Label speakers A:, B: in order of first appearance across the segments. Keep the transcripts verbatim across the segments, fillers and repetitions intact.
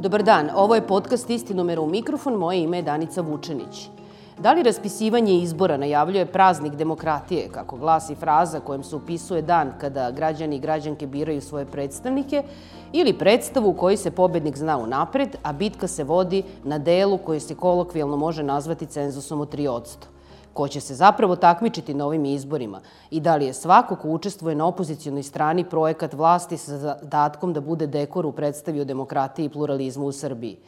A: Dobar dan, ovo je podcast Istinomera u mikrofon, moje ime je Danica Vučenić. Da li raspisivanje izbora najavljuje praznik demokratije, kako glasi fraza kojom se upisuje dan kada građani i građanke biraju svoje predstavnike, ili predstavu u kojoj se pobednik zna unapred, a bitka se vodi na delu koji se kolokvijalno može nazvati cenzusom od tri posto? Ko će se zapravo takmičiti na ovim izborima i da li je svako ko učestvuje na opozicionoj strani projekat vlasti sa zadatkom da bude dekor u predstavi o demokratiji i pluralizmu u Srbiji?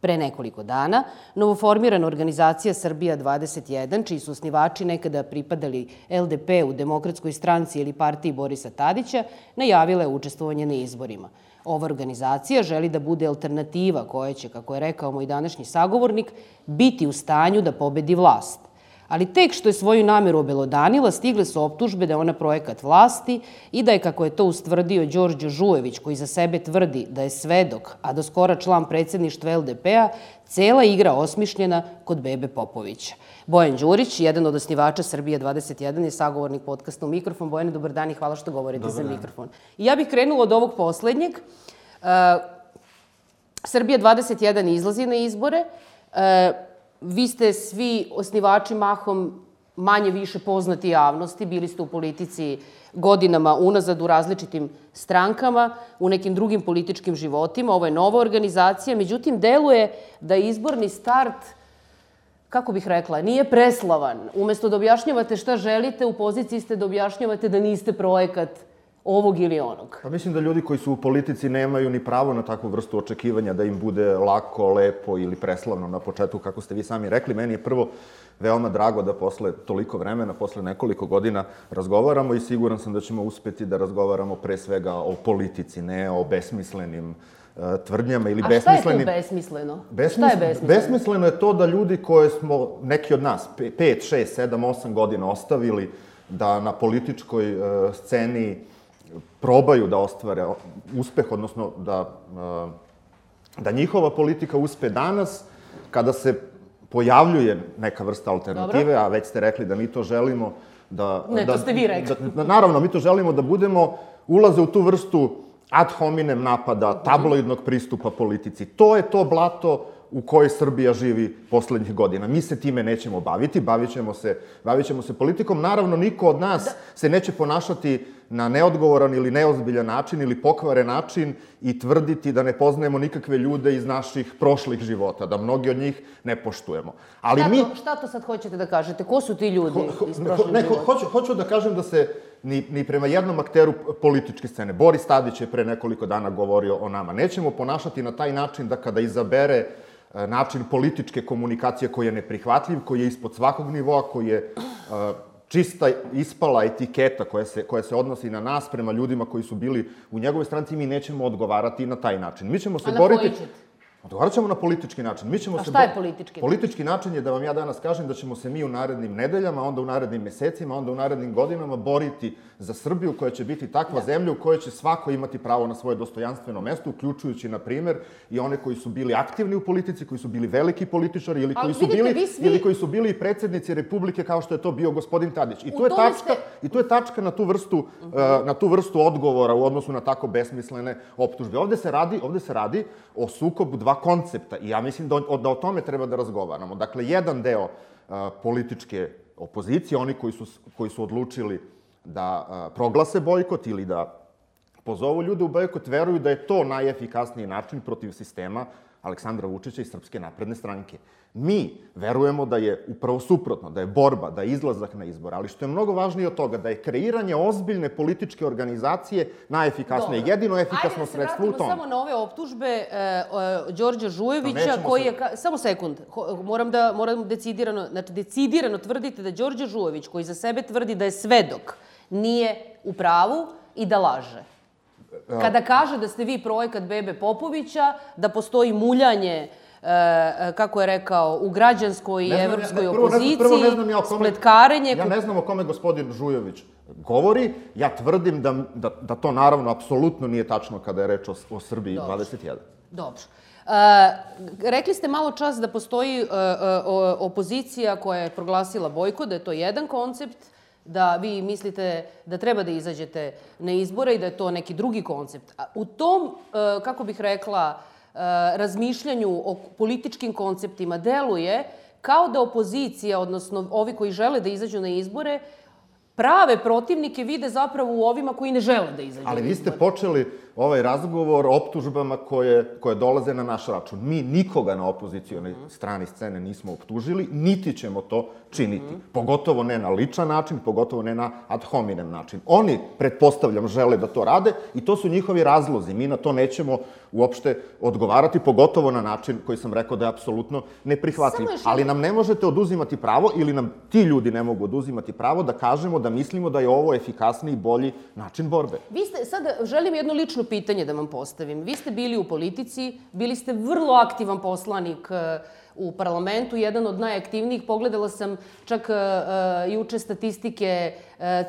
A: Pre nekoliko dana, novoformirana organizacija Srbija dvadeset jedan, čiji su osnivači nekada pripadali el de pe u Demokratskoj stranci ili partiji Borisa Tadića, najavila je učestvovanje na izborima. Ova organizacija želi da bude alternativa koja će, kako je rekao moj današnji sagovornik, biti u stanju da pobedi vlast. Ali tek što je svoju nameru obelodanila, stigle su optužbe da je ona projekat vlasti i da je, kako je to ustvrdio Đorđe Žujević, koji za sebe tvrdi da je svedok, a do skora član predsjedništva el de pe-a, cela igra osmišljena kod Bebe Popovića. Bojan Đurić, jedan od osnivača Srbija dvadeset jedan, je sagovornik podcasta u mikrofon. Bojane, dobar dan i hvala što govorite za mikrofon. I ja bih krenula od ovog poslednjeg. Srbija dvadeset jedan izlazi na izbore. Vi ste svi osnivači mahom manje više poznati javnosti, bili ste u politici godinama unazad u različitim strankama, u nekim drugim političkim životima. Ovo je nova organizacija, međutim, deluje da izborni start, kako bih rekla, nije preslavan. Umesto da objašnjavate šta želite, u poziciji ste da objašnjavate da niste projekat ovog ili onog.
B: Pa mislim da ljudi koji su u politici nemaju ni pravo na takvu vrstu očekivanja da im bude lako, lepo ili preslavno na početku, kako ste vi sami rekli. Meni je prvo veoma drago da posle toliko vremena, posle nekoliko godina razgovaramo i siguran sam da ćemo uspeti da razgovaramo pre svega o politici, ne o besmislenim tvrdnjama ili besmislenim...
A: A šta je to besmisleno?
B: Šta je besmisleno? Besmisleno je to da ljudi koje smo, neki od nas, pet, šest, sedam, osam godina ostavili da na političkoj sceni probaju da ostvare uspeh, odnosno da, da njihova politika uspe danas, kada se pojavljuje neka vrsta alternative, Dobro. A već ste rekli da mi to želimo da...
A: Ne,
B: da,
A: to ste vi rekli.
B: Da, naravno, mi to želimo da budemo, ulaze u tu vrstu ad hominem napada, tabloidnog pristupa politici. To je to blato u kojoj Srbija živi poslednjih godina. Mi se time nećemo baviti, bavit ćemo se, bavit ćemo se politikom. Naravno, niko od nas da. se neće ponašati na neodgovoran ili neozbiljan način ili pokvaren način i tvrditi da ne poznajemo nikakve ljude iz naših prošlih života, da mnogi od njih ne poštujemo. Ali
A: šta,
B: mi...
A: to, šta to sad hoćete da kažete? Ko su ti ljudi ho, ho, iz prošlih
B: ne,
A: života?
B: Hoću, hoću da kažem da se ni, ni prema jednom akteru političke scene, Boris Tadić je pre nekoliko dana govorio o nama, nećemo ponašati na taj način da kada izabere način političke komunikacije koji je neprihvatljiv, koji je ispod svakog nivoa, koji je uh, čista ispala etiketa koja se, koja se odnosi na nas prema ljudima koji su bili u njegovoj stranci, mi nećemo odgovarati na taj način. Mi ćemo se
A: A
B: boriti...
A: na koji ćete?
B: Odgovarat ćemo na politički način. Mi ćemo
A: A
B: se
A: šta je politički način?
B: Politički način je da vam ja danas kažem da ćemo se mi u narednim nedeljama, onda u narednim mesecima, onda u narednim godinama boriti za Srbiju koja će biti takva da. zemlja u kojoj će svako imati pravo na svoje dostojanstveno mesto, uključujući, na primer, i one koji su bili aktivni u politici, koji su bili veliki političari ili koji, su, vidite, bili, svi... ili koji su bili i predsjednici Republike kao što je to bio gospodin Tadić. I tu je tačka, ste... i tu je tačka na tu vrstu, uh -huh. uh, na tu vrstu odgovora u odnosu na tako besmislene optužbe. Ovde se radi, ovde se radi o sukobu dva koncepta i ja mislim da o, da o tome treba da razgovaramo. Dakle, jedan deo uh, političke opozicije, oni koji su, koji su odlučili da uh, proglase bojkot ili da pozovu ljude u bojkot, veruju da je to najefikasniji način protiv sistema Aleksandra Vučića i Srpske napredne stranke. Mi verujemo da je upravo suprotno, da je borba, da je izlazak na izbor, ali što je mnogo važnije od toga, da je kreiranje ozbiljne političke organizacije najefikasnije, Dobre. jedino efikasno sredstvo u tom.
A: Ajde da se vratimo samo na ove optužbe e, e, Đorđa Žujevića, koji je... Se... Samo sekund, moram da moram decidirano, znači decidirano tvrdite da Đorđe Žujević, koji za sebe tvrdi da je svedok, nije u pravu i da laže. Kada kaže da ste vi projekat Bebe Popovića, da postoji muljanje, e, kako je rekao, u građanskoj i evropskoj opoziciji,
B: ja
A: spletkarenje...
B: Ja ne znam o kome gospodin Žujević govori. Ja tvrdim da, da, da to naravno apsolutno nije tačno kada je reč o, o Srbiji
A: Dobro.
B: dvadeset jedan.
A: Dobro. E, rekli ste malo čas da postoji e, e, opozicija koja je proglasila bojkot, da je to jedan koncept, da vi mislite da treba da izađete na izbore i da je to neki drugi koncept. U tom, kako bih rekla, razmišljanju o političkim konceptima deluje kao da opozicija, odnosno ovi koji žele da izađu na izbore, prave protivnike vide zapravo u ovima koji ne žele da izađu na izbore.
B: Ali vi ste počeli ovaj razgovor optužbama koje, koje dolaze na naš račun. Mi nikoga na opozicionoj strani scene nismo optužili, niti ćemo to činiti. Pogotovo ne na ličan način, pogotovo ne na ad hominem način. Oni, pretpostavljam, žele da to rade i to su njihovi razlozi. Mi na to nećemo uopšte odgovarati, pogotovo na način koji sam rekao da je apsolutno neprihvatljiv. Ali nam ne možete oduzimati pravo ili nam ti ljudi ne mogu oduzimati pravo da kažemo da mislimo da je ovo efikasniji i bolji način borbe.
A: Vi ste, sad želim jedno lično pitanje da vam postavim. Vi ste bili u politici, bili ste vrlo aktivan poslanik u parlamentu, jedan od najaktivnijih. Pogledala sam čak juče statistike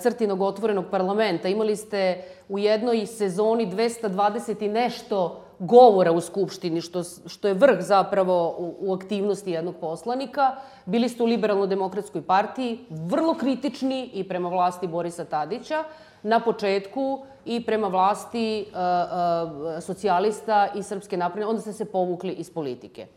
A: Crtinog otvorenog parlamenta. Imali ste u jednoj sezoni dvesta dvadeset i nešto govora u Skupštini, što, što je vrh zapravo u, u aktivnosti jednog poslanika. Bili ste u Liberalno-demokratskoj partiji, vrlo kritični i prema vlasti Borisa Tadića, na početku i prema vlasti uh, uh, socijalista i Srpske napredne, onda ste se povukli iz politike.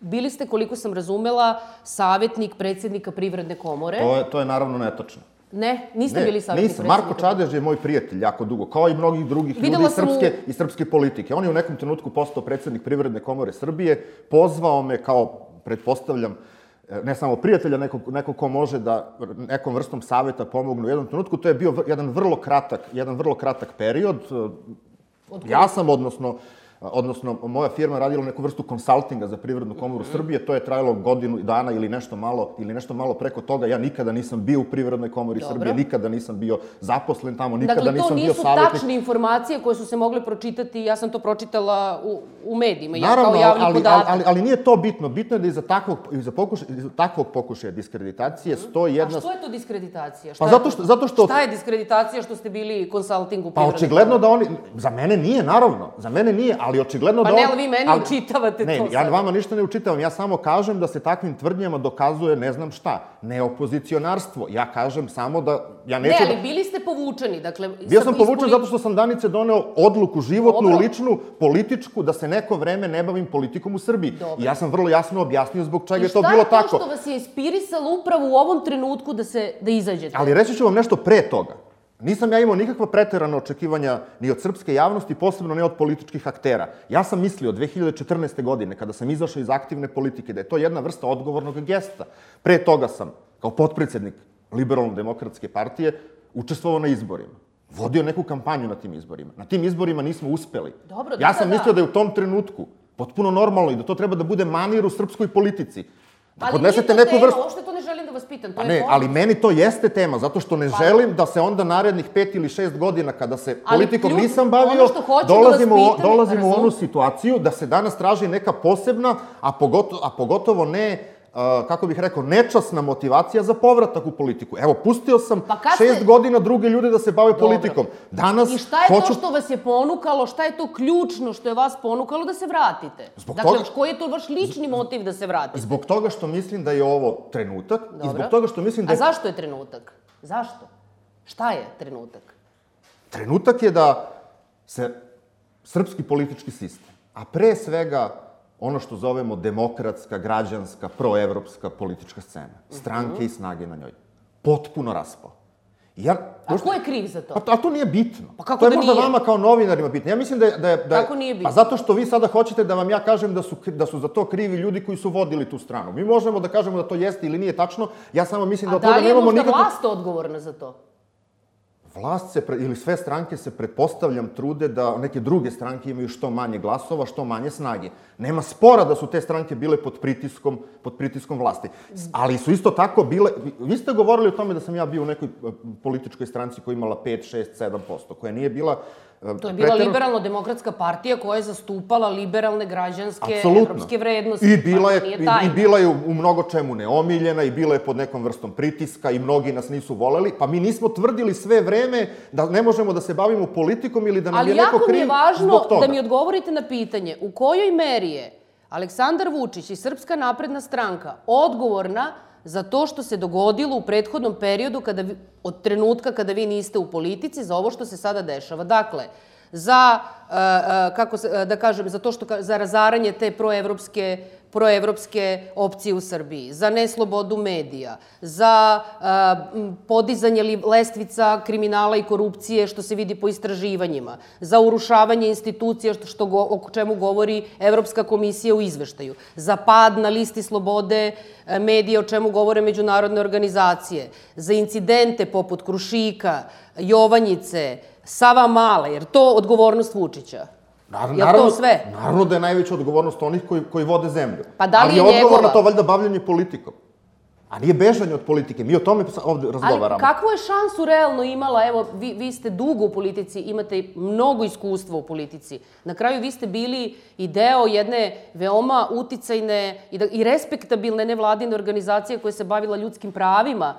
A: Bili ste, koliko sam razumela, savjetnik predsjednika Privredne komore.
B: To je, to je naravno netačno.
A: Ne, niste ne, bili savjetnik
B: nisam.
A: predsjednika.
B: Marko Čadež je moj prijatelj jako dugo, kao i mnogih drugih
A: Videla
B: ljudi iz srpske,
A: u...
B: iz srpske politike. On je u nekom trenutku postao predsjednik Privredne komore Srbije, pozvao me kao, pretpostavljam, ne samo prijatelja, nekog, nekog ko može da nekom vrstom savjeta pomognu u jednom trenutku. To je bio jedan vrlo kratak, jedan vrlo kratak period. Ja sam, odnosno, odnosno moja firma radila neku vrstu konsaltinga za Privrednu komoru Srbije. To je trajalo godinu dana ili nešto malo, ili nešto malo preko toga. Ja nikada nisam bio u Privrednoj komori
A: Dobro.
B: Srbije, nikada nisam bio zaposlen tamo, nikada
A: dakle,
B: nisam bio savjetnik.
A: Dakle, to nisu tačne informacije koje su se mogle pročitati, ja sam to pročitala u, u medijima, ja
B: Naravno,
A: kao javni
B: ali,
A: podatak.
B: Ali, ali nije to bitno. Bitno je da iza takvog, iza pokuša, iza takvog pokušaja diskreditacije stoji jedna...
A: A što je to diskreditacija? Šta
B: Pa zato što, zato što...
A: Šta je diskreditacija što ste bili konsalting u
B: Pa
A: Privrednoj
B: očigledno
A: komori?
B: da oni... Za mene nije, naravno. Za mene nije, ali očigledno
A: Pa
B: da...
A: ne,
B: on,
A: ali vi meni
B: ali,
A: učitavate
B: ne,
A: to
B: ja
A: sad.
B: vama ništa ne učitavam. Ja samo kažem da se takvim tvrdnjama dokazuje ne znam šta. Ne opozicionarstvo. Ja kažem samo da... Ja neću
A: ne, ali
B: da...
A: bili ste povučeni. Dakle,
B: Bio sam povučen
A: ispoli...
B: zato što sam Danice doneo odluku životnu,
A: Dobro.
B: ličnu, političku, da se neko vreme ne bavim politikom u Srbiji.
A: Dobro.
B: I ja sam vrlo jasno objasnio zbog čega je to bilo
A: I šta je
B: tako.
A: to što vas je inspirisalo upravo u ovom trenutku da, se, da izađete?
B: Ali reći ću vam nešto pre toga. Nisam ja imao nikakva preterana očekivanja ni od srpske javnosti, posebno ne od političkih aktera. Ja sam mislio dve hiljade četrnaeste. godine, kada sam izašao iz aktivne politike, da je to jedna vrsta odgovornog gesta. Pre toga sam, kao potpredsjednik Liberalno-demokratske partije, učestvovao na izborima. Vodio neku kampanju na tim izborima. Na tim izborima nismo uspeli.
A: Dobro,
B: ja sam
A: da,
B: mislio
A: da.
B: da je u tom trenutku potpuno normalno i da to treba da bude manir u srpskoj politici. Da
A: ali
B: podnesete
A: nije to
B: neku
A: tema,
B: vrstu...
A: uopšte to ne želim da vas pitam. To
B: A
A: je
B: ne,
A: poruka.
B: ali meni to jeste tema, zato što ne
A: Pa-
B: želim da se onda narednih pet ili šest godina, kada se
A: Ali
B: politikom
A: ključ-
B: nisam bavio,
A: ono što hoću da
B: dolazimo,
A: vas
B: u-
A: pitam,
B: dolazimo u onu
A: razum-
B: situaciju da se danas traži neka posebna, a pogotovo, a pogotovo ne, uh, kako bih rekao, nečasna motivacija za povratak u politiku. Evo, pustio sam
A: Pa kad
B: šest
A: ste-
B: godina druge ljude da se bave
A: Dobro.
B: politikom. Danas
A: I šta je
B: hoću...
A: to što vas je ponukalo, šta je to ključno što je vas ponukalo da se vratite?
B: Zbog
A: dakle,
B: toga-
A: koji je to vaš lični motiv da se vratite?
B: Zbog toga što mislim da je ovo trenutak i
A: Dobro.
B: zbog toga što mislim da
A: A
B: je...
A: zašto je trenutak? Zašto? Šta je trenutak?
B: Trenutak je da se srpski politički sistem, a pre svega ono što zovemo demokratska, građanska, proevropska politička scena, stranke i snage na njoj, potpuno raspao. I Ja,
A: A ko je kriv za to?
B: Pa, a to nije bitno.
A: Pa kako
B: to je
A: da
B: možda
A: nije?
B: vama kao novinarima bitno. Ja mislim da je... Da je, da je
A: Kako nije bitno?
B: Pa zato što vi sada hoćete da vam ja kažem da su, da su za to krivi ljudi koji su vodili tu stranu. Mi možemo da kažemo da to jeste ili nije tačno, ja samo mislim da
A: A
B: od
A: da
B: toga
A: li je
B: nemamo
A: možda
B: nikakvu...
A: vlast odgovorna za to?
B: Vlast se, pre- ili sve stranke se, pretpostavljam, trude da neke druge stranke imaju što manje glasova, što manje snage. Nema spora da su te stranke bile pod pritiskom, pod pritiskom vlasti. S- Ali su isto tako bile... vi- Vi ste govorili o tome da sam ja bio u nekoj e, političkoj stranci koja je imala pet, šest, sedam posto, koja nije bila... e,
A: To je bila
B: preterano-
A: liberalno-demokratska partija koja je zastupala liberalne građanske
B: Apsolutno.
A: evropske vrednosti.
B: I bila,
A: Pa
B: je,
A: to nije
B: i,
A: tajna.
B: I bila je u, u mnogo čemu neomiljena i bila je pod nekom vrstom pritiska i mnogi nas nisu voleli, pa mi nismo tvrdili sve vreme da ne možemo da se bavimo politikom ili da nam
A: Ali
B: je neko
A: jako mi
B: kriv
A: je važno
B: zbog toga.
A: da mi odgovorite na pitanje u kojoj meri je Aleksandar Vučić i Srpska napredna stranka odgovorna za to što se dogodilo u prethodnom periodu kada vi, od trenutka kada vi niste u politici za ovo što se sada dešava. Dakle, za, kako da kažem, za to što, za razaranje te proevropske proevropske opcije u Srbiji, za neslobodu medija, za podizanje lestvica kriminala i korupcije, što se vidi po istraživanjima, za urušavanje institucija, o čemu govori Evropska komisija u izveštaju, za pad na listi slobode medija, o čemu govore međunarodne organizacije, za incidente poput Krušika, Jovanjice, Savamale, jer to odgovornost Vučića. Je to sve?
B: Naravno da je najveća odgovornost onih koji vode zemlju.
A: Pa da li je
B: njegova? Ali je odgovor na
A: njegova?
B: to valjda bavljanje politikom. A nije bežanje od politike. Mi o tome ovde razgovaramo.
A: Ali kakvu je šansu realno imala? Evo, vi, vi ste dugo u politici, imate mnogo iskustva u politici. Na kraju vi ste bili i deo jedne veoma uticajne i, da, i respektabilne nevladine organizacije koja se bavila ljudskim pravima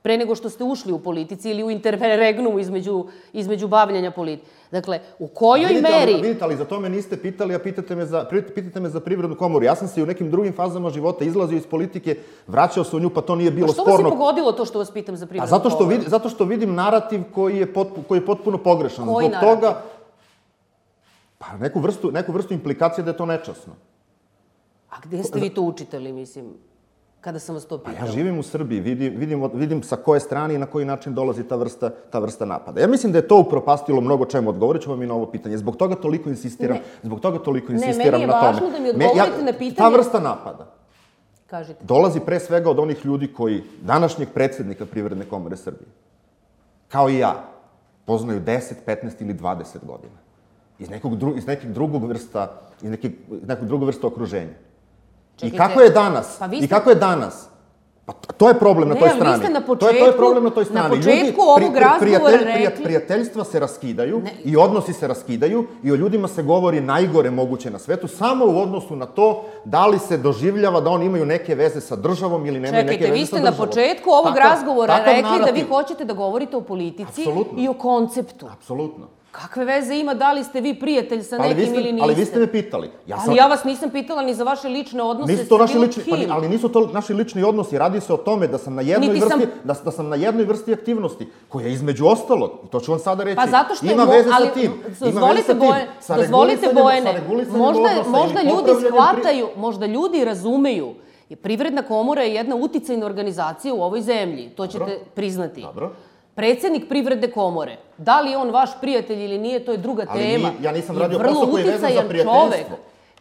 A: pre nego što ste ušli u politici ili u interregnumu između, između bavljanja politike. Dakle, u kojoj
B: vidite,
A: meri...
B: Ali, vidite, ali za to me niste pitali, a pitate me, za, pitate me za Privrednu komoru. Ja sam se i u nekim drugim fazama života izlazio iz politike, vraćao se u nju, pa to nije bilo
A: pa što
B: sporno.
A: Što vas je pogodilo to što vas pitam za Privrednu
B: a zato što
A: komoru?
B: Vid, zato što vidim narativ koji je, potpuno, koji je potpuno pogrešan.
A: Koji
B: Zbog
A: narativ?
B: toga, pa neku vrstu, neku vrstu implikacije da je to nečasno.
A: A gde ste vi to učitali, mislim? Kada sam vas to pitala.
B: Ja živim u Srbiji, vidim, vidim, vidim sa koje strane i na koji način dolazi ta vrsta, ta vrsta napada. Ja mislim da je to upropastilo mnogo čemu. Odgovorit ću vam i na ovo pitanje. Zbog toga toliko insistiram,
A: ne.
B: zbog toga toliko
A: ne,
B: insistiram na tome.
A: Ne, meni je važno da mi odgovorite
B: Me, ja,
A: na pitanje...
B: Ta vrsta napada
A: Kažite.
B: Dolazi pre svega od onih ljudi koji, današnjeg predsjednika Privredne komore Srbije, kao i ja, poznaju deset, petnaest ili dvadeset godina. Iz nekog, dru, iz nekog drugog vrsta, iz nekog, nekog drugog vrsta okruženja.
A: Čekajte,
B: I kako je danas?
A: Pa vi ste...
B: I kako je danas? Pa to je problem na toj strani.
A: Ne, ali vi ste na početku,
B: to je, to je problem na toj strani.
A: na početku
B: Ljudi,
A: ovog
B: pri, pri,
A: razgovora
B: prijatelj,
A: rekli...
B: Prijateljstva se raskidaju
A: ne.
B: I odnosi se raskidaju i o ljudima se govori najgore moguće na svetu, samo u odnosu na to da li se doživljava da oni imaju neke veze sa državom ili nemaju
A: Čekajte,
B: neke veze sa
A: Čekajte,
B: državom.
A: vi ste na početku ovog
B: takav,
A: razgovora
B: takav
A: rekli
B: narativ.
A: da vi hoćete da govorite o politici
B: Apsolutno.
A: I o konceptu.
B: Apsolutno.
A: Kakve veze ima da li ste vi prijatelj sa nekim
B: ali ste,
A: ili niste?
B: Ali vi ste me pitali.
A: Ja sam... Ali ja vas nisam pitala ni za vaše lične odnose
B: nisu to
A: sa
B: naši
A: bilo
B: lični,
A: kim.
B: Pa, ali nisu to naši lični odnosi. Radi se o tome da sam na jednoj,
A: Niti
B: vrsti,
A: sam...
B: da, da sam na jednoj vrsti aktivnosti, koja između ostalog, i to ću vam sada reći,
A: pa zato što
B: ima
A: mo...
B: veze
A: ali,
B: sa tim.
A: Dozvolite, Boje, dozvolite Bojene, možda, možda ljudi shvataju, pri... možda ljudi razumeju. Privredna komora je jedna uticajna organizacija u ovoj zemlji. To ćete Dobro. priznati.
B: Dobro.
A: Predsjednik Privredne komore, da li je on vaš prijatelj ili nije, to je druga
B: ali
A: tema.
B: Ali ja nisam radio posao koji je vezan za prijateljstvo. Čovek.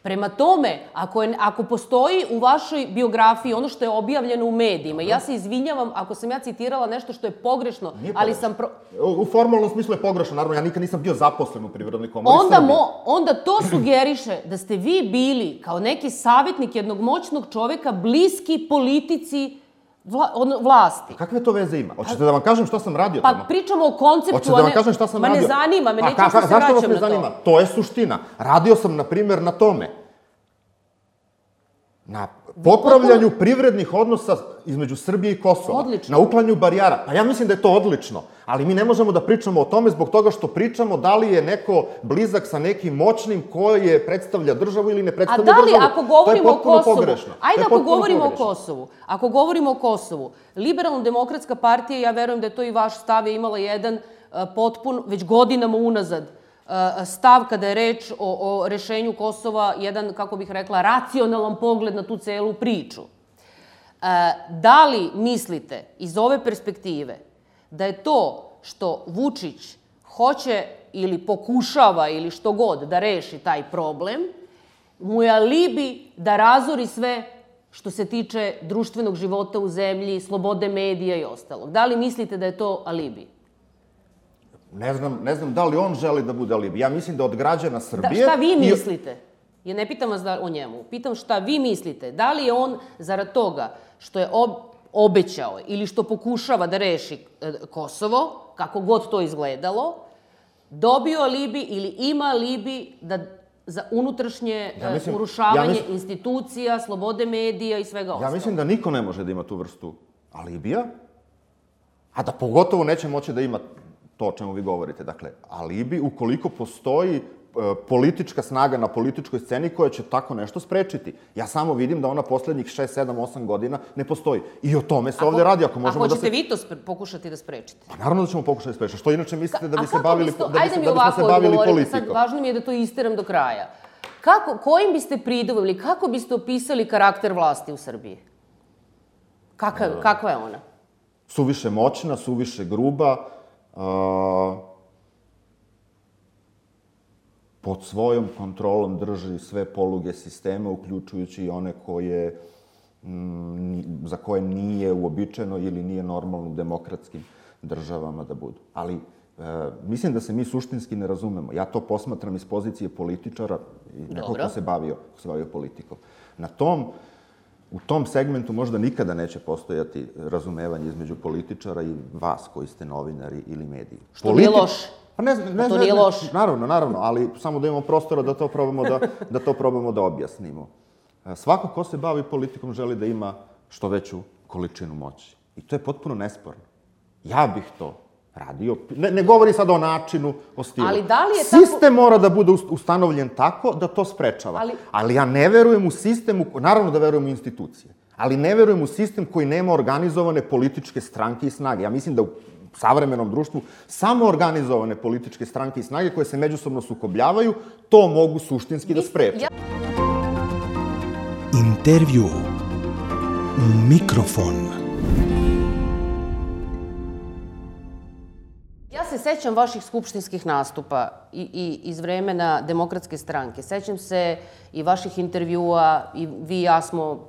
A: Prema tome, ako, je, ako postoji u vašoj biografiji ono što je objavljeno u medijima, ja se izvinjavam ako sam ja citirala nešto što je pogrešno,
B: Nije
A: ali
B: pogrešno.
A: sam... Pro...
B: U formalnom smislu je pogrešno, naravno, ja nikad nisam bio zaposlen u Privrednoj komori
A: onda
B: Srbije.
A: Mo, onda to sugeriše da ste vi bili kao neki savjetnik jednog moćnog čoveka bliski politici Vla, on, vlasti.
B: A kakve to veze ima? Hoćete da vam kažem šta sam radio
A: pa
B: tamo?
A: Pa pričamo o konceptu,
B: Hoćete da vam kažem šta sam
A: ma
B: radio?
A: Ma ne zanima me,
B: pa,
A: neću se
B: zašto vas
A: vraćam
B: ne
A: na to.
B: zanima? To je suština. Radio sam, na primjer, na tome. Na popravljanju Potpuno... privrednih odnosa između Srbije i Kosova.
A: Odlično.
B: Na uklanju barijara. Pa ja mislim da je to odlično. Ali mi ne možemo da pričamo o tome zbog toga što pričamo da li je neko blizak sa nekim moćnim koji je predstavlja državu ili ne predstavlja državu.
A: A da li, ako govorimo o Kosovu,
B: pogrešno.
A: Ajde ako govorimo pogrešno. o Kosovu, ako govorimo o Kosovu, Liberalno-demokratska partija, ja verujem da je to i vaš stav, je imala jedan uh, potpun, već godinama unazad, stav kada je reč o, o rešenju Kosova, jedan, kako bih rekla, racionalan pogled na tu celu priču. Da li mislite iz ove perspektive da je to što Vučić hoće ili pokušava ili što god da reši taj problem, mu je alibi da razori sve što se tiče društvenog života u zemlji, slobode medija i ostalog? Da li mislite da je to alibi?
B: Ne znam, ne znam da li on želi da bude alibi. Ja mislim da od građana Srbije...
A: Da, šta vi mislite? Ja ne pitam vas da, o njemu. Pitam šta vi mislite. Da li je on, zarad toga što je ob, obećao ili što pokušava da reši e, Kosovo, kako god to izgledalo, dobio alibi ili ima alibi da, za unutrašnje ja mislim, urušavanje ja mislim, institucija, slobode medija i svega ostalo?
B: Ja mislim da niko ne može da ima tu vrstu alibija, a da pogotovo neće moći da ima to o čemu vi govorite. Dakle, alibi, ukoliko postoji politička snaga na političkoj sceni koja će tako nešto sprečiti. Ja samo vidim da ona poslednjih šest, sedam, osam godina ne postoji. I o tome se ovde radi.
A: A hoćete vi to pokušati da sprečite?
B: Pa naravno da ćemo pokušati da sprečiti. Što inače mislite da bi se bavili politikom?
A: Sad, važno mi je da to isteram do kraja. Kojim biste pridovili, kako biste opisali karakter vlasti u Srbiji? Kakva je ona?
B: Suviše moćna, suviše gruba, pod svojom kontrolom drži sve poluge sistema, uključujući i one koje, za koje nije uobičajeno ili nije normalno u demokratskim državama da budu. Ali mislim da se mi suštinski ne razumemo. Ja to posmatram iz pozicije političara i nekog ko se bavio politikom. Na tom, u tom segmentu možda nikada neće postojati razumevanje između političara i vas koji ste novinari ili mediji.
A: Što nije loše.
B: Pa ne znam,
A: to nije loše.
B: Naravno, naravno, ali samo da imamo prostora da to probamo da, da to probamo da objasnimo. Svako ko se bavi politikom želi da ima što veću količinu moći. I to je potpuno nesporno. Ja bih to radio. Ne, ne govori sad o načinu, o stilu.
A: Ali da li je tako...
B: Sistem mora da bude ustanovljen tako da to sprečava. Ali, ali ja ne verujem u sistem, naravno da verujem u institucije, ali ne verujem u sistem koji nema organizovane političke stranke i snage. Ja mislim da u savremenom društvu samo organizovane političke stranke i snage koje se međusobno sukobljavaju, to mogu suštinski da spreče.
C: Intervju Mikrofon.
A: Ja se sećam vaših skupštinskih nastupa i iz vremena Demokratske stranke. Sećam se i vaših intervjua i vi i ja smo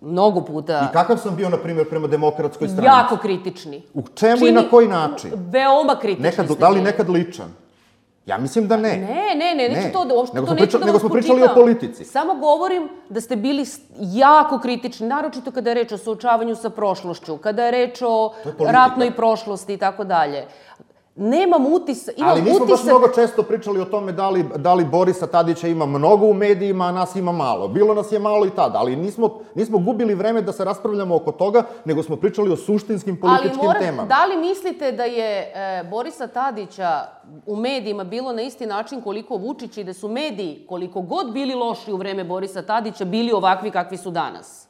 A: mnogo puta...
B: I kakav sam bio, na primjer, prema Demokratskoj stranci?
A: Jako kritični.
B: U čemu i na koji način?
A: Veoma kritični ste bili.
B: Da li nekad ličan? Ja mislim da ne.
A: Ne, ne, ne, neću to da vas
B: spočitam. Nego smo pričali o politici.
A: Samo govorim da ste bili jako kritični, naročito kada je reč o suočavanju sa prošlošću, kada je reč o ratnoj prošlosti i tako dalje. Nemam utisak...
B: Ali nismo baš mnogo često pričali o tome da li Borisa Tadića ima mnogo u medijima, a nas ima malo. Bilo nas je malo i tada, ali nismo gubili vreme da se raspravljamo oko toga, nego smo pričali o suštinskim političkim temama.
A: Da li mislite da je Borisa Tadića u medijima bilo na isti način koliko Vučić i da su mediji, koliko god bili loši u vreme Borisa Tadića, bili ovakvi kakvi su danas?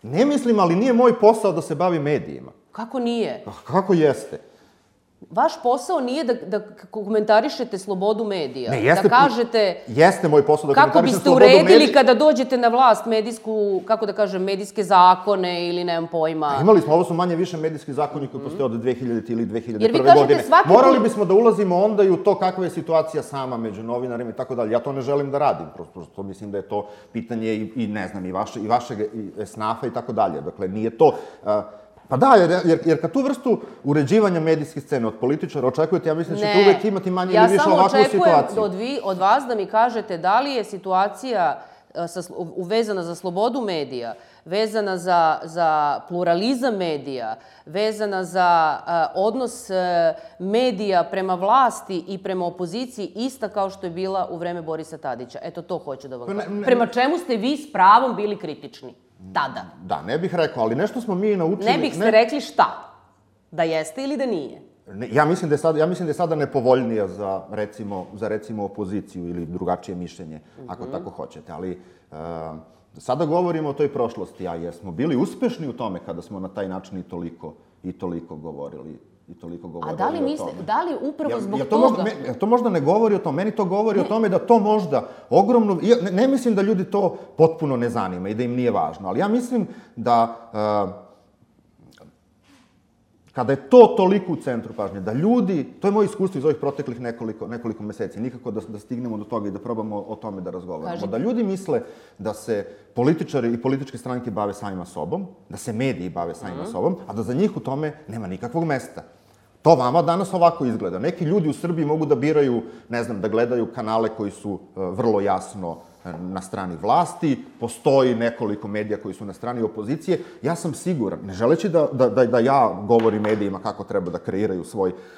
B: Ne mislim, ali nije moj posao da se bavi medijima.
A: Kako nije?
B: Kako jeste?
A: Vaš posao nije da komentarišete slobodu medija, da kažete...
B: Jeste moj posao da komentarišem slobodu
A: medija. Kako biste uredili kada dođete na vlast medijsku, kako da kažem, medijske zakone ili nemam pojma.
B: Imali smo, ovo su manje više medijski zakoni koji postoje od dve hiljadite ili dve hiljade prve godine. Morali bismo da ulazimo onda i u to kakva je situacija sama među novinarima i tako dalje. Ja to ne želim da radim, prosto mislim da je to pitanje i, ne znam, i vašeg snafa i tako dalje. Dakle, nije to... Pa da, jer kad tu vrstu uređivanja medijske scene od političara očekujete, ja mislim da ćete uvek imati manje ili više ovakvu situaciju.
A: Ja samo očekujem od vas da mi kažete da li je situacija vezana za slobodu medija, vezana za pluralizam medija, vezana za odnos medija prema vlasti i prema opoziciji ista kao što je bila u vreme Borisa Tadića. Eto, to hoću da vam kažem. Prema čemu ste vi s pravom bili kritični? Tada.
B: Da, ne bih rekao, ali nešto smo mi naučili...
A: Ne bih ste rekli šta? Da jeste ili da nije?
B: Ja mislim da je sada nepovoljnija za, recimo, opoziciju ili drugačije mišljenje, ako tako hoćete. Ali sada govorimo o toj prošlosti, a jesmo bili uspešni u tome kada smo na taj način i toliko govorili i toliko govorili o tome.
A: A da li mislite, da li upravo zbog toga...
B: To možda ne govori o tome, meni to govori o tome da to možda ogromno... Ne mislim da ljudi to potpuno ne zanima i da im nije važno, ali ja mislim da kada je to toliko u centru pažnje, da ljudi, to je moje iskustvo iz ovih proteklih nekoliko meseci, nikako da stignemo do toga i da probamo o tome da razgovaramo, da ljudi misle da se političari i političke stranke bave samima sobom, da se mediji bave samima sobom, a da za njih u tome nema nikakvog mesta. To vama danas ovako izgleda. Neki ljudi u Srbiji mogu da biraju, ne znam, da gledaju kanale koji su vrlo jasno na strani vlasti, postoji nekoliko medija koji su na strani opozicije. Ja sam siguran, ne želeći da ja govorim medijima kako treba da kreiraju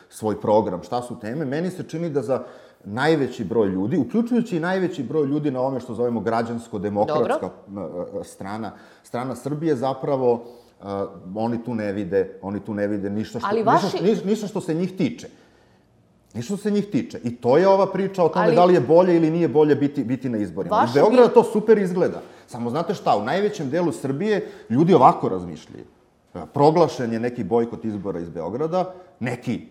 B: svoj program, šta su teme, meni se čini da za najveći broj ljudi, uključujući i najveći broj ljudi na ovome što zovemo građansko-demokratska strana, strana Srbije, zapravo oni tu ne vide, oni tu ne vide ništa što se njih tiče. Ništa se njih tiče. I to je ova priča o tome da li je bolje ili nije bolje biti na izborima. Iz Beograda to super izgleda. Samo znate šta, u najvećem delu Srbije ljudi ovako razmišljaju. Proglašen je neki bojkot izbora iz Beograda, neki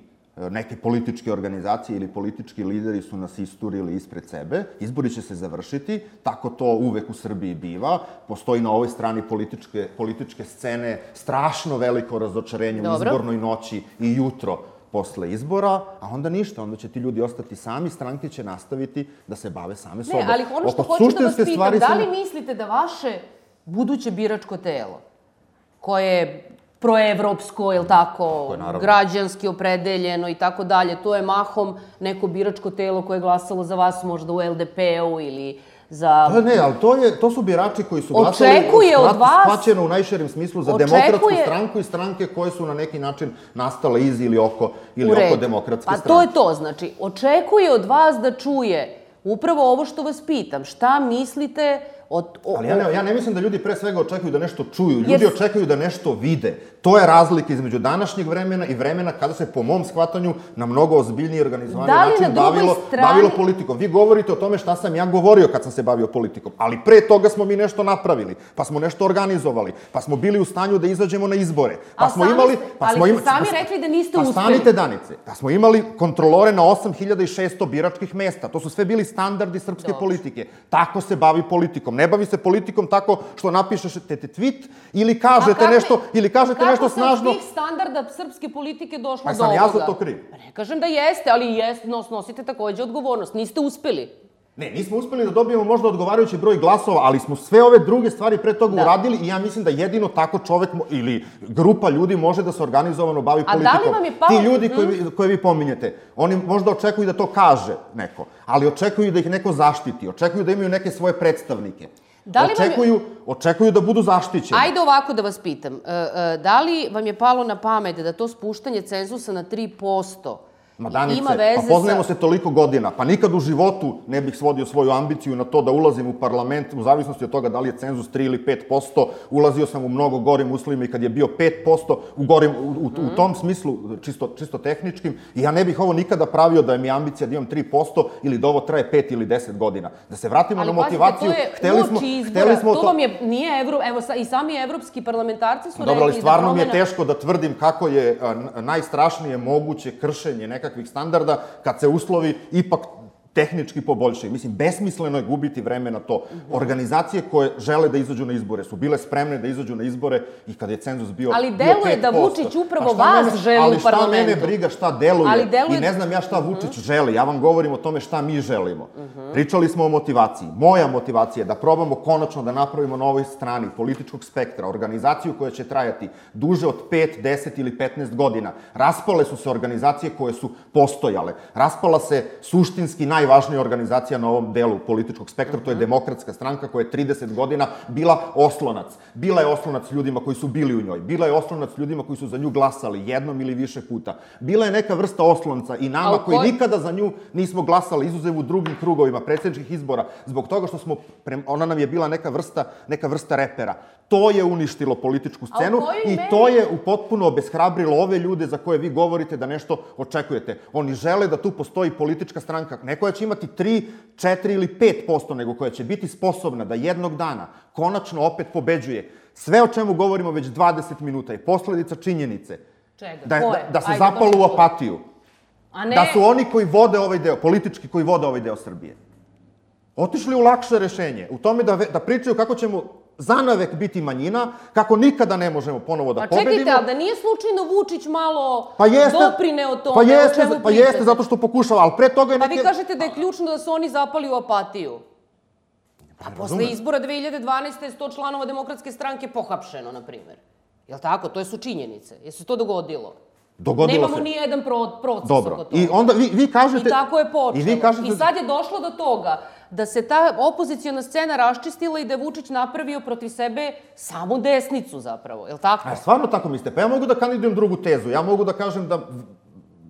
B: neke političke organizacije ili politički lideri su nas isturili ispred sebe, izbori će se završiti, tako to uvek u Srbiji biva, postoji na ovoj strani političke, političke scene strašno veliko razočarenje u izbornoj noći i jutro posle izbora, a onda ništa, onda će ti ljudi ostati sami, stranke će nastaviti da se bave same sobom.
A: Ne, ali ono što hoću da vas pitam, da li mislite da vaše buduće biračko telo, koje je proevropsko, je li tako, građanski opredeljeno i tako dalje, to je mahom neko biračko telo koje je glasalo za vas možda u L D P-u ili za...
B: Ne, ali to su birači koji su glasali shvaćeno u najširem smislu za demokratsku stranku i stranke koje su na neki način nastale iz ili oko demokratske stranke.
A: Pa to je to, znači, očekuje od vas da čuje upravo ovo što vas pitam, šta mislite...
B: Ali ja ne mislim da ljudi pre svega očekuju da nešto čuju, ljudi očekuju da nešto vide. To je razlika između današnjeg vremena i vremena kada se, po mom shvatanju, na mnogo ozbiljniji organizovani način bavilo politikom. Vi govorite o tome šta sam ja govorio kad sam se bavio politikom, ali pre toga smo mi nešto napravili, pa smo nešto organizovali, pa smo bili u stanju da izađemo na izbore.
A: Ali ste sami rekli da niste uspeli.
B: Pa stanite, Danice, pa smo imali kontrolore na osam hiljada i šesto biračkih mesta. To su sve bili standardi srpske politike. Tako se bavi politikom. Ne bavi se politikom tako što napišete tweet ili kažete nešto, ili kažete nešto snažno.
A: Kako se od svih standarda srpske politike došlo do ovoga?
B: Pa sam ja za to kriv.
A: Ne kažem da jeste, ali nosite takođe odgovornost. Niste uspeli.
B: Ne, nismo uspeli da dobijemo možda odgovarajući broj glasova, ali smo sve ove druge stvari pre toga uradili i ja mislim da jedino tako čovek ili grupa ljudi može da se organizovano bavi politikom.
A: A da li vam je palo...
B: Ti ljudi koje vi pominjete, oni možda očekuju da to kaže neko, ali očekuju da ih neko zaštiti, očekuju da imaju neke svoje predstavnike. Očekuju da budu zaštićeni.
A: Ajde ovako da vas pitam. Da li vam je palo na pamet da to spuštanje cenzusa na tri posto
B: Ma Danice, pa poznajemo se toliko godina, pa nikad u životu ne bih svodio svoju ambiciju na to da ulazim u parlament, u zavisnosti od toga da li je cenzus tri ili pet posto, ulazio sam u mnogo gorim uslovima i kad je bio pet posto, u tom smislu, čisto tehničkim, i ja ne bih ovo nikada pravio da mi je ambicija da imam tri posto ili da ovo traje pet ili deset godina. Da se vratimo na motivaciju,
A: hteli smo... Ali pazite, to je uoči izbora, to vam je, nije Evro, evo i sami evropski parlamentarci su rekli da promena...
B: Dobro, ali stvarno mi je teško da tvrdim kako je najstrašnije moguće kršenje nekakvih standarda kad se uslovi ipak tehnički poboljšaju. Mislim, besmisleno je gubiti vreme na to. Organizacije koje žele da izađu na izbore su bile spremne da izađu na izbore i kad je cenzus bio pet posto.
A: Ali deluje da Vučić upravo vas želi u parlamentu.
B: Ali šta mene briga šta deluje i ne znam ja šta Vučić želi. Ja vam govorim o tome šta mi želimo. Pričali smo o motivaciji. Moja motivacija je da probamo konačno da napravimo na ovoj strani političkog spektra organizaciju koja će trajati duže od pet, deset ili petnaest godina. Raspale su se organizacije koje su postojale. Raspala se suštinski naj najvažnija organizacija na ovom delu političkog spektra, to je Demokratska stranka koja je trideset godina bila oslonac. Bila je oslonac ljudima koji su bili u njoj. Bila je oslonac ljudima koji su za nju glasali jednom ili više puta. Bila je neka vrsta oslonca i nama koji nikada za nju nismo glasali, izuzev u drugim krugovima predsjedničkih izbora, zbog toga što smo, ona nam je bila neka vrsta, neka vrsta repera. To je uništilo političku scenu i to je u potpuno obeshrabrilo ove ljude za koje vi govorite da nešto očekujete. Oni žele da tu postoji politička stranka, ne koja će imati tri, četiri ili pet posto, nego koja će biti sposobna da jednog dana konačno opet pobeđuje. Sve o čemu govorimo već dvadeset minuta je posledica činjenice.
A: Čega?
B: Da se zapalo u apatiju. Da su oni koji vode ovaj deo, politički koji vode ovaj deo Srbije, otišli u lakše rešenje, u tome da pričaju kako ćemo zanavek biti manjina, kako nikada ne možemo ponovo da pobedimo.
A: Pa čekajte, ali da nije slučajno Vučić malo doprineo tome, o čemu pričate?
B: Pa jeste, zato što pokušava, ali pre toga je neke...
A: Pa vi kažete da je ključno da su oni zapali u apatiju. Pa posle izbora dve hiljade dvanaeste. sto članova Demokratske stranke pohapšeno, na primjer. Jel' tako? To su činjenice. Jel' se to dogodilo?
B: Dogodilo se.
A: Nemamo ni jedan proces
B: oko
A: toga.
B: I onda vi kažete...
A: I tako je počelo. I sad je došlo do toga da se ta opozicijona scena raščistila i da je Vučić napravio protiv sebe samu desnicu zapravo. Je li tako?
B: A stvarno tako mislite? Pa ja mogu da kandidujem drugu tezu. Ja mogu da kažem da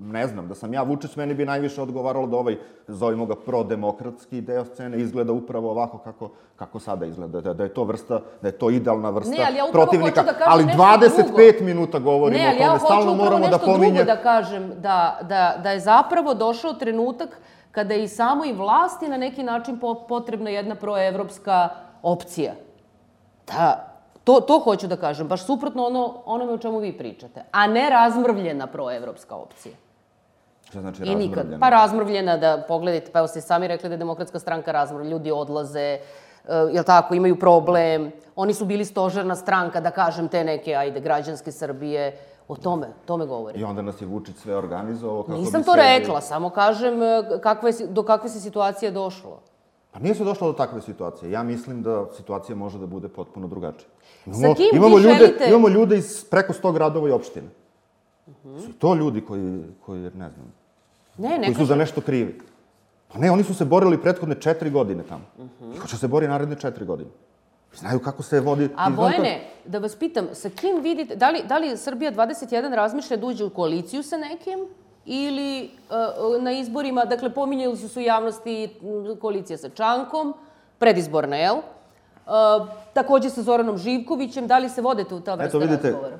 B: ne znam, da sam ja Vučić, meni bi najviše odgovaralo da ovaj, zovimo ga prodemokratski deo scene, izgleda upravo ovako kako, kako sada izgleda, da, da je to vrsta, da je to idealna vrsta
A: ne, ali ja
B: protivnika,
A: hoću da kažem
B: ali
A: nešto
B: dvadeset pet
A: drugo.
B: minuta govorimo
A: ne,
B: o tome, stalno moramo da pominje...
A: Ne, ali ja hoću upravo nešto drugo da kažem, da, da, da je zapravo došao trenutak kada je i samoj vlasti na neki način potrebna jedna proevropska opcija. Da, to, to hoću da kažem, baš suprotno ono, onome o čemu vi pričate, a ne razmrvljena proevropska opcija.
B: Šta znači
A: I nikad.
B: razmrvljena?
A: Pa razmrvljena, da pogledajte, pa evo ste sami rekli da je Demokratska stranka razmrvljena, ljudi odlaze, jel tako, imaju problem, oni su bili stožerna stranka, da kažem, te neke, ajde, građanske Srbije, o tome, tome govorim.
B: I onda nas je Vučić sve organizovao kako bi se...
A: Nisam to rekla, samo kažem kakve, do kakve se situacije došlo.
B: Pa nije se došlo do takve situacije. Ja mislim da situacija može da bude potpuno drugačija.
A: Sa kim
B: imamo
A: vi
B: ljude,
A: želite...
B: Imamo ljude iz preko sto gradova i opština. Su to ljudi koji, koji ne znam,
A: ne, ne
B: koji su za nešto krivi. Pa ne, oni su se borili prethodne četiri godine tamo. I hoće se bori naredne četiri godine. Znaju kako se vodi...
A: A Bojane, da vas pitam, sa kim vidite, da li, da li Srbija dvadeset jedan razmišlja da uđe u koaliciju sa nekim ili uh, na izborima, dakle, pominjali su su u javnosti koalicija sa Čankom, predizborna, jel? Uh, takođe sa Zoranom Živkovićem, da li se vodete u ta vrsta razgovora?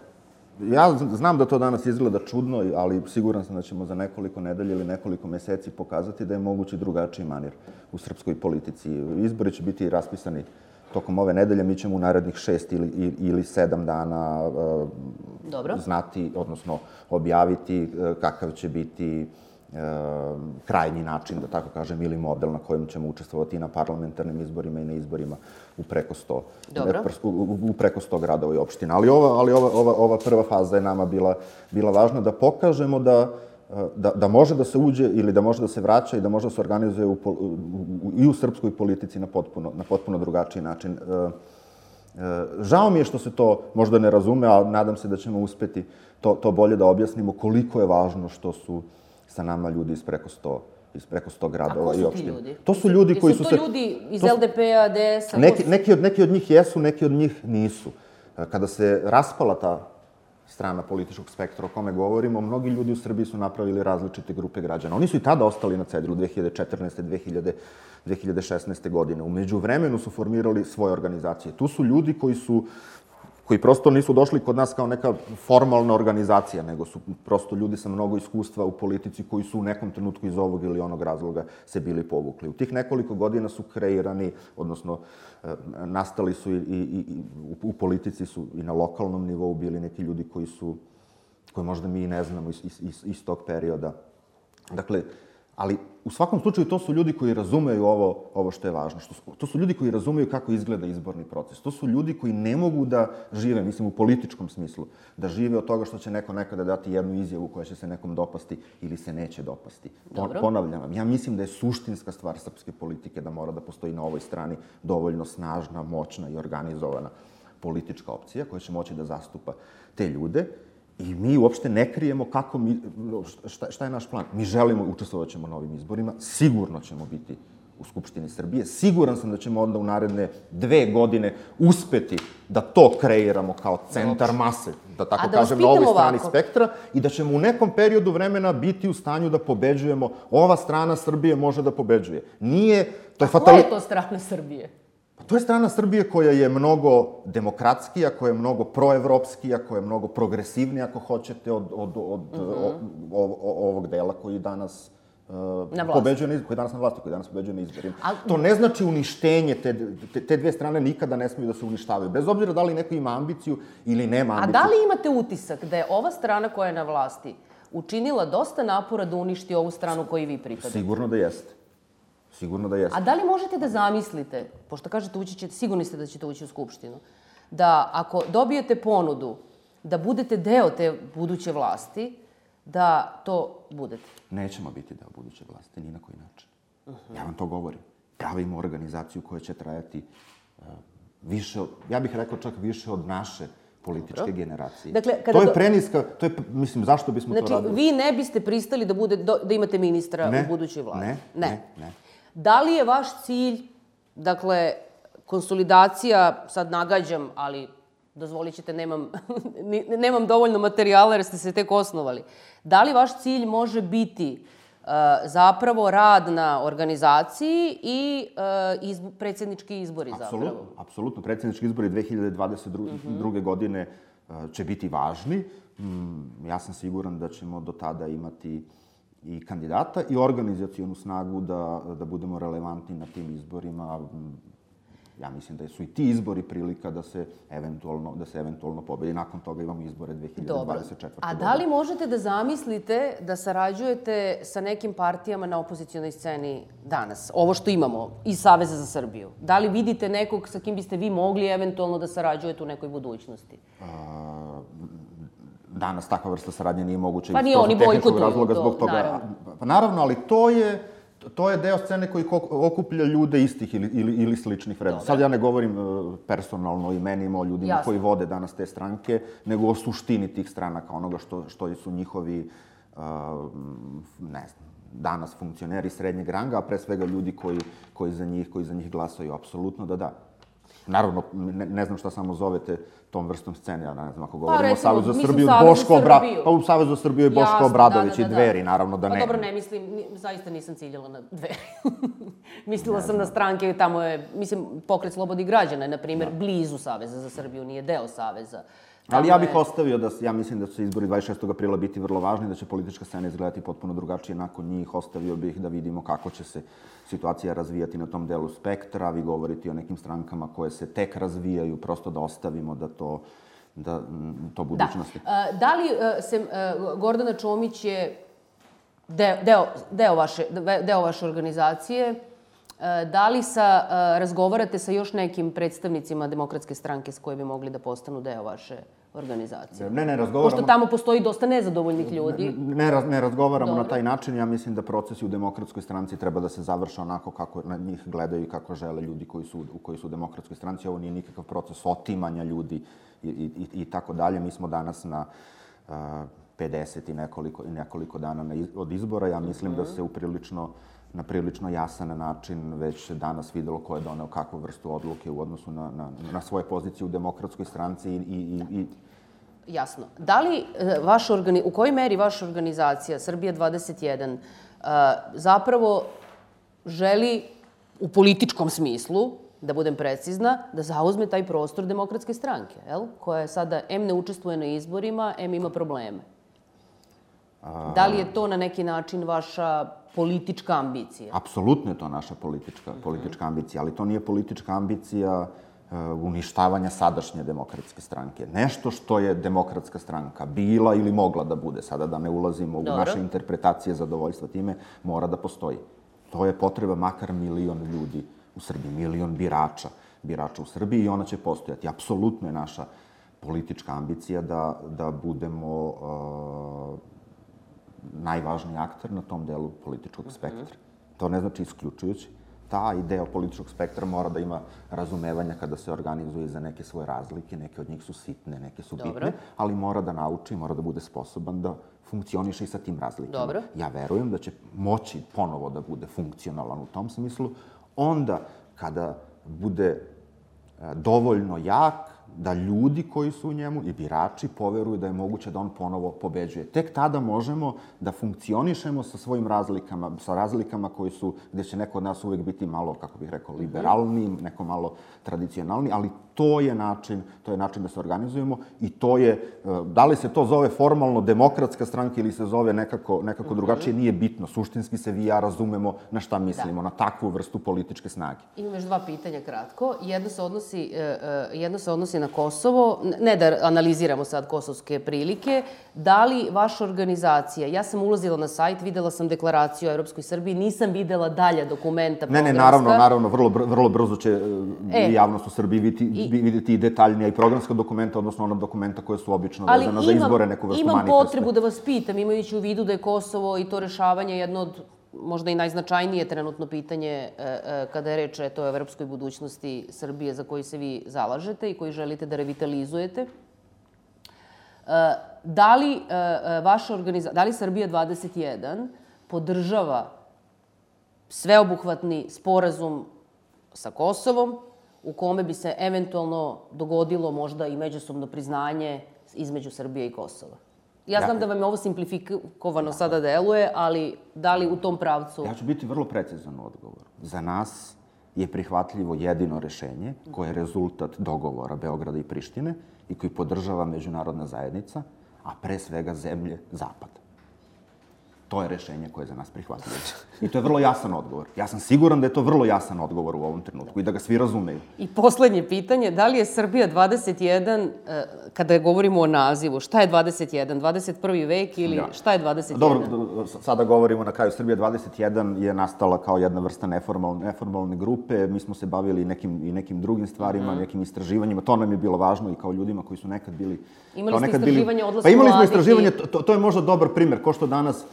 B: Ja znam da to danas izgleda čudno, ali siguran sam da ćemo za nekoliko nedelja ili nekoliko meseci pokazati da je mogući drugačiji manir u srpskoj politici. Izbori će biti raspisani tokom ove nedelje, mi ćemo u narednih šest ili, ili sedam dana uh,
A: Dobro.
B: znati, odnosno objaviti uh, kakav će biti uh, krajnji način, da tako kažem, ili model na kojem ćemo učestvovati i na parlamentarnim izborima i na izborima u preko sto,
A: Dobro.
B: u, u, u preko sto gradova i opština. Ali ova, ali ova, ova, ova prva faza je nama bila, bila važna da pokažemo da Da, da može da se uđe ili da može da se vraća i da može da se organizuje u, u, u, i u srpskoj politici na potpuno, na potpuno drugačiji način. E, e, žao mi je što se to možda ne razume, a nadam se da ćemo uspeti to, to bolje da objasnimo koliko je važno što su sa nama ljudi iz preko sto iz preko sto gradova i opština.
A: A ko su ti ljudi?
B: To su ljudi koji su se...
A: Su to ljudi iz L D P-a, D S-a?
B: Neki, neki, od, neki od njih jesu, neki od njih nisu. Kada se raspala ta strana političkog spektra o kome govorimo, mnogi ljudi u Srbiji su napravili različite grupe građana. Oni su i tada ostali na cedilu dve hiljade četrnaeste. dve hiljade šesnaeste. godine. U međuvremenu su formirali svoje organizacije. Tu su ljudi koji su koji prosto nisu došli kod nas kao neka formalna organizacija, nego su prosto ljudi sa mnogo iskustva u politici koji su u nekom trenutku iz ovog ili onog razloga se bili povukli. U tih nekoliko godina su kreirani, odnosno nastali su i, i, i u politici su i na lokalnom nivou bili neki ljudi koji su, koje možda mi i ne znamo iz, iz, iz tog perioda. Dakle, ali u svakom slučaju to su ljudi koji razumeju ovo, ovo što je važno. Što su, to su ljudi koji razumeju kako izgleda izborni proces. To su ljudi koji ne mogu da žive, mislim u političkom smislu, da žive od toga što će neko nekada dati jednu izjavu koja će se nekom dopasti ili se neće dopasti.
A: Dobro.
B: Ponavljam vam, ja mislim da je suštinska stvar srpske politike da mora da postoji na ovoj strani dovoljno snažna, moćna i organizovana politička opcija koja će moći da zastupa te ljude. I mi uopšte ne krijemo kako mi, šta, šta je naš plan. Mi želimo, učestvovat ćemo na ovim izborima, sigurno ćemo biti u Skupštini Srbije, siguran sam da ćemo onda u naredne dve godine uspeti da to kreiramo kao centar mase, da tako da kažem, na ovoj strani ovako. spektra, i da ćemo u nekom periodu vremena biti u stanju da pobeđujemo. Ova strana Srbije može da pobeđuje. Nije, to je fatali...
A: Koja je to strana Srbije?
B: To je strana Srbije koja je mnogo demokratskija, koja je mnogo proevropskija, koja je mnogo progresivnija, ako hoćete, od, od, od mm-hmm. o, o, ovog dela koji danas uh, pobeđuje na izborima, koji danas na vlasti, koji danas pobeđuje na izborima. A... To ne znači uništenje, te, te, te dve strane nikada ne smiju da se uništavaju, bez obzira da li neko ima ambiciju ili nema ambiciju.
A: A da li imate utisak da je ova strana koja je na vlasti učinila dosta napora da uništi ovu stranu koju vi pripadate?
B: Sigurno da jeste. Sigurno da jeste.
A: A da li možete da zamislite, pošto kažete ući ćete, sigurni ste da ćete ući u Skupštinu, da ako dobijete ponudu da budete deo te buduće vlasti, da to budete?
B: Nećemo biti deo buduće vlasti, ni na koji način. Uh-huh. Ja vam to govorim. Pravimo organizaciju koja će trajati uh, više, ja bih rekao čak više od naše političke Dobro. generacije. Dakle, kada to je preniska, to je, mislim, zašto bismo
A: znači,
B: to radili?
A: Znači, vi ne biste pristali da, bude, da imate ministra
B: ne,
A: u budućoj vlasti?
B: Ne, ne, ne, ne.
A: Da li je vaš cilj, dakle, konsolidacija, sad nagađam, ali dozvolit ćete, nemam, nemam dovoljno materijala jer ste se tek osnovali. Da li vaš cilj može biti uh, zapravo rad na organizaciji i uh, izb predsjednički izbori
B: apsolutno,
A: zapravo?
B: Apsolutno. Predsjednički izbori dve hiljade dvadeset druge. Uh-huh. godine uh, će biti važni. Mm, ja sam siguran da ćemo do tada imati i kandidata i organizacionu snagu da, da budemo relevantni na tim izborima. Ja mislim da su i ti izbori prilika da se eventualno, da se eventualno pobedi. Nakon toga imamo izbore dve hiljade dvadeset četvrte.
A: Dobro. A da li možete da zamislite da sarađujete sa nekim partijama na opozicionoj sceni danas? Ovo što imamo iz Saveza za Srbiju. Da li vidite nekog sa kim biste vi mogli eventualno da sarađujete u nekoj budućnosti?
B: A, danas takva vrsta saradnje nije moguća
A: pa iz oni
B: tehničkog razloga zbog toga. Naravno. Pa naravno, ali to je to je deo scene koji okuplja ljude istih ili, ili, ili sličnih vrednosti. Sad ja ne govorim personalno o imenima, o ljudima Jasne. koji vode danas te stranke, nego o suštini tih stranaka, onoga što, što su njihovi, uh, ne znam, danas funkcioneri srednjeg ranga, a pre svega ljudi koji, koji, za, njih, koji za njih glasaju. Apsolutno da da. Naravno, ne, ne znam šta samo zovete tom vrstom scene, ja ne znam, ako govorimo pa, recimo, o Savezu za Srbiju, Boško Obra... pa u Savezu za Srbiju je Boško Jasne, Obradović da, da, da, i Dveri, naravno da ne.
A: Pa dobro, ne mislim, zaista nisam ciljala na Dveri. Mislila sam na stranke, tamo je, mislim, Pokret slobodnih građana je, na primjer, da. blizu Saveza za Srbiju, nije deo Saveza. Tamo
B: Ali ja bih je... ostavio da, ja mislim da će izbori dvadeset šestog aprila biti vrlo važni, da će politička scena izgledati potpuno drugačije nakon njih. Ostavio bih da vidimo kako će se situacija razvijati na tom delu spektra. Vi govorite o nekim strankama koje se tek razvijaju, prosto da ostavimo da to, da, to budućnosti.
A: Da, da li se Gordana Čomić je deo, deo, deo, vaše, deo vaše organizacije? Da li sa, razgovarate sa još nekim predstavnicima Demokratske stranke s koje bi mogli da postanu deo vaše organizacije?
B: Ne, ne razgovaramo.
A: Pošto tamo postoji dosta nezadovoljnih ljudi.
B: Ne, ne, ne razgovaramo Dobro. na taj način. Ja mislim da procesi u Demokratskoj stranci treba da se završe onako kako na njih gledaju i kako žele ljudi koji su, koji su u Demokratskoj stranci. Ovo nije nikakav proces otimanja ljudi i, i, i tako dalje. Mi smo danas na uh, pedeset i nekoliko, i nekoliko dana na iz, od izbora. Ja mislim mm-hmm. da se uprilično na prilično jasan način već danas videlo ko je doneo kakvu vrstu odluke u odnosu na, na, na svoje pozicije u Demokratskoj stranci i, i, i...
A: Jasno. Da li vaš organi... u kojoj meri vaša organizacija Srbija dvadeset jedan zapravo želi u političkom smislu, da budem precizna, da zauzme taj prostor Demokratske stranke, jel? Koja je sada em ne učestvuje na izborima, em ima probleme? Da li je to na neki način vaša politička ambicija?
B: Apsolutno je to naša politička, politička ambicija, ali to nije politička ambicija uh, uništavanja sadašnje Demokratske stranke. Nešto što je Demokratska stranka bila ili mogla da bude, sada da ne ulazimo Dobro. u naše interpretacije zadovoljstva time, mora da postoji. To je potreba makar milion ljudi u Srbiji, milion birača, birača u Srbiji i ona će postojati. Apsolutno je naša politička ambicija da, da budemo uh, najvažniji akter na tom delu političkog spektra. To ne znači isključujući. Taj deo političkog spektra mora da ima razumevanja kada se organizuje za neke svoje razlike. Neke od njih su sitne, neke su bitne, Dobro. ali mora da nauči, mora da bude sposoban da funkcioniše i sa tim razlikama.
A: Dobro.
B: Ja verujem da će moći ponovo da bude funkcionalan u tom smislu. Onda, kada bude dovoljno jak, da ljudi koji su u njemu i birači poveruju da je moguće da on ponovo pobeđuje. Tek tada možemo da funkcionišemo sa svojim razlikama, sa razlikama koji su, gdje će neko od nas uvijek biti malo, kako bih rekao, liberalniji, neko malo tradicionalni, ali to je način, to je način da se organizujemo i to je, da li se to zove formalno Demokratska stranka ili se zove nekako, nekako drugačije, nije bitno. Suštinski se vi i ja razumemo na šta mislimo, da. na takvu vrstu političke snage.
A: Imam još dva pitanja kratko. Jedno se odnosi, jedno se odnosi na Kosovo. Ne da analiziramo sad kosovske prilike. Da li vaša organizacija, ja sam ulazila na sajt, videla sam deklaraciju o Europskoj Srbiji, nisam videla dalje dokumenta
B: programska. Ne, ne, naravno, naravno, vrlo, vrlo brzo će e, javnost u Srbiji vidjeti i, vidjeti i detaljnija i programska dokumenta, odnosno ona dokumenta koje su obično vezana za izbore, neku vrstu manifesta.
A: Imam potrebu da vas pitam, imajući u vidu da je Kosovo i to rešavanje jedno od možda i najznačajnije trenutno pitanje e, e, kada je reč o evropskoj budućnosti Srbije za koju se vi zalažete i koji želite da revitalizujete. E, da li e, vaša organizacija, da li Srbija dvadeset jedan podržava sveobuhvatni sporazum sa Kosovom u kome bi se eventualno dogodilo možda i međusobno priznanje između Srbije i Kosova? Ja znam da vam je ovo simplifikovano sada deluje, ali da li u tom pravcu...
C: Ja ću biti vrlo precizan u odgovoru. Za nas je prihvatljivo jedino rešenje koje je rezultat dogovora Beograda i Prištine i koji podržava međunarodna zajednica, a pre svega zemlje Zapada. To je rešenje koje je za nas prihvatljivo. I to je vrlo jasan odgovor. Ja sam siguran da je to vrlo jasan odgovor u ovom trenutku i da ga svi razumeju.
A: I poslednje pitanje, da li je Srbija dvadeset jedan, kada govorimo o nazivu, šta je dvadeset jedan? dvadeset prvi vek ili šta je dvadeset jedan?
C: Dobro, sada govorimo na kraju. Srbija dvadeset jedan je nastala kao jedna vrsta neformalne grupe. Mi smo se bavili i nekim drugim stvarima, nekim istraživanjima. To nam je bilo važno i kao ljudima koji su nekad bili...
A: Imali ste istraživanje odlaska
C: mladih? Pa imali smo
A: mladih
C: istraživanje, to je možda dobar primer, ko što danas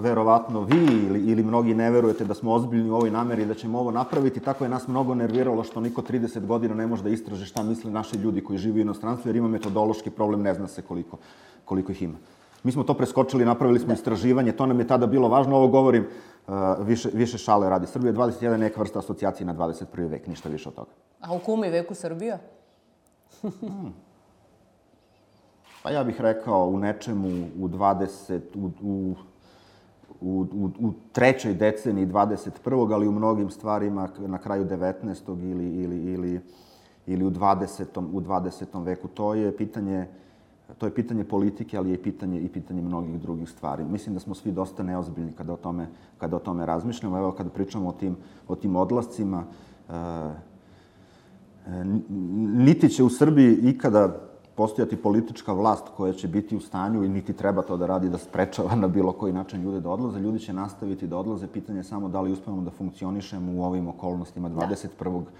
C: verovatno vi ili mnogi ne verujete da smo ozbiljni u ovoj nameri i da ćemo ovo napraviti. Tako je nas mnogo nerviralo što niko trideset godina ne može da istraže šta misle naši ljudi koji žive u inostranstvu, jer ima metodološki problem, ne zna se koliko ih ima. Mi smo to preskočili, napravili smo istraživanje, to nam je tada bilo važno. Ovo govorim više šale radi. Srbija dvadeset jedan je neka vrsta asocijacije na dvadeset prvi vek, ništa više od toga.
A: A u kom je veku Srbija?
C: Pa ja bih rekao u nečemu u dvadeset, u, u, u trećoj deceniji dvadeset prvog, ali u mnogim stvarima na kraju devetnaestog ili, ili, ili, ili u dvadesetom, u dvadesetom veku. To je pitanje, to je pitanje politike, ali je i pitanje, i pitanje mnogih drugih stvari. Mislim da smo svi dosta neozbiljni kada o tome, kada o tome razmišljamo. Evo, kada pričamo o tim, o tim odlascima, uh, niti će u Srbiji ikada postojati politička vlast koja će biti u stanju i niti treba to da radi, da sprečava na bilo koji način ljude da odlaze. Ljudi će nastaviti da odlaze. Pitanje je samo da li uspevamo da funkcionišemo u ovim okolnostima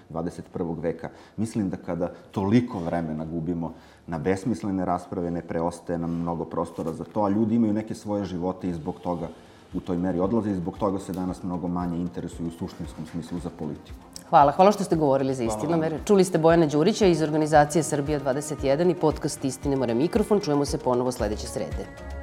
C: dvadeset prvog veka. Mislim da kada toliko vremena gubimo na besmislene rasprave, ne preostaje nam mnogo prostora za to, a ljudi imaju neke svoje živote i zbog toga u toj meri odlaze i zbog toga se danas mnogo manje interesuju u suštinskom smislu za politiku.
A: Hvala. Hvala što ste govorili za Istinamere. Čuli ste Bojana Đurića iz organizacije Srbija dvadeset jedan i podcast Istinamere mikrofon. Čujemo se ponovo sledeće srede.